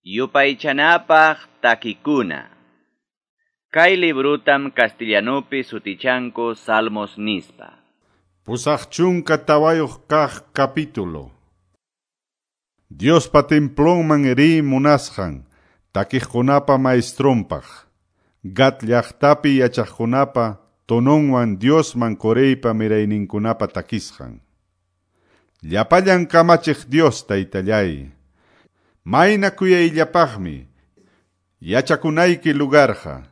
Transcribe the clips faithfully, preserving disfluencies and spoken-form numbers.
Yupaychanapaq takikuna. Kay librutam castellanupi sutichanku Salmos nispa. Pusaq chunka tawayuq kaq capítulo. Diospa templonman riy munasqan takiqkunapa maestronpaq. Gat llaqtapi yachaqkunapa tononwan Diosman Coreypa mirayninkunapa takisqan. Llapallan kamachiq Dios taytallay. Mayna kuyayllapaqmi yachakunayki lugarqa.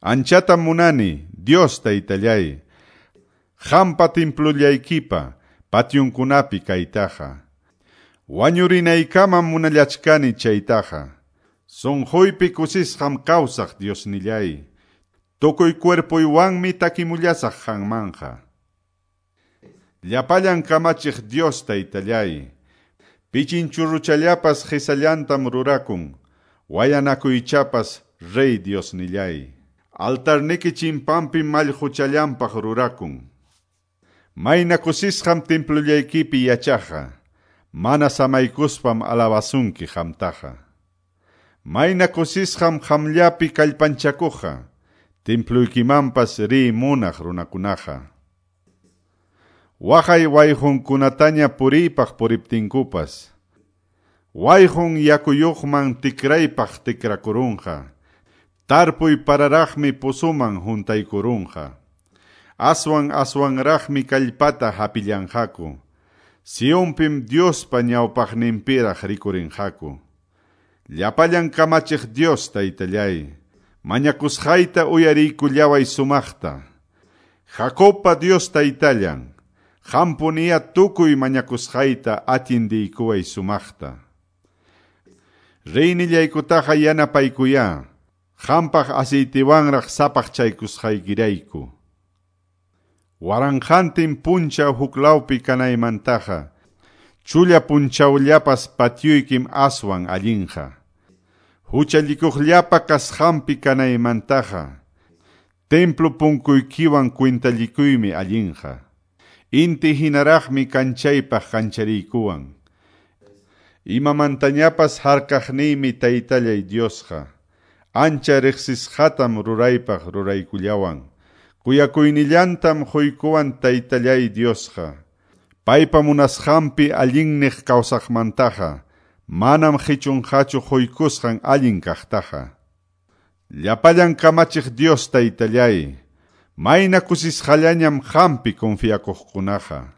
Anchatam munani Dios taytallay. Qampa templollaykipa pationkunapi kaytaqa. Wañurinaykamam munallachkani chaytaqa. Sunquypi kusisqam kawsaq Diosnillay. Tukuy cuerpuywanmi takimullasaq qanmanqa. Llapallan kamachiq Dios taytallay. Pichinchurruchallapas qhisallantam rurakun. Wayanakuychapas rey Diosnillay. Altarniki chimpampi mallquchallanpaq rurakun. Mayna kusisqam templollaykipi yachaqa. Mana samaykuspam alabasunki qamtaqa. Mayna kusisqam qamllapi kallpanchakuqa. Templuykimanpas riy munaq runakunaqa. Waqay wayqunkunataña puriypaq puriptinkupas. Wayqun yakuyuqman tikraypaq tikrakurunqa. Tarpuy pararaqmi pusuman huntaykurunqa. Aswan aswanraqmi kallpata hapillanqaku. Sionpim Diospa ñawpaqninpiraq rikurinqaku. Llapallan kamachiq Dios taytallay. Mañakusqayta uyariykullaway sumaqta. Jacobpa Dios taytallan. Qampuniya tukuy mañakusqayta atindiykuway sumaqta. Reynillaykutaqa yanapaykuya. Qampaq aceitiwanraq sapaqchaykusqaykirayku. Waranqantin punchaw huklawpi kanaymantaqa. Chulla punchawllapas patioykim aswan allinqa. Huchallikuqllapa kasqanpi kanaymantaqa. Templo punkuykiwan kwintallikuymi allinqa. Inti hinaraqmi kanchaypaq kanchariykuwan. Imamantañapas harkaqniymi taytallay Diosqa. Ancha riqsisqatam ruraypaq ruraykullawan. Kuyakuynillantam quykuwan taytallay Diosqa. Paypa munasqanpi allinniq kawsaqmantaqa. Manam qichunqachu quykusqan allin kaqtaqa. Llapallan kamachiq Dios taytallay. Mayna kusisqallañam qampi confiakuqkunaqa.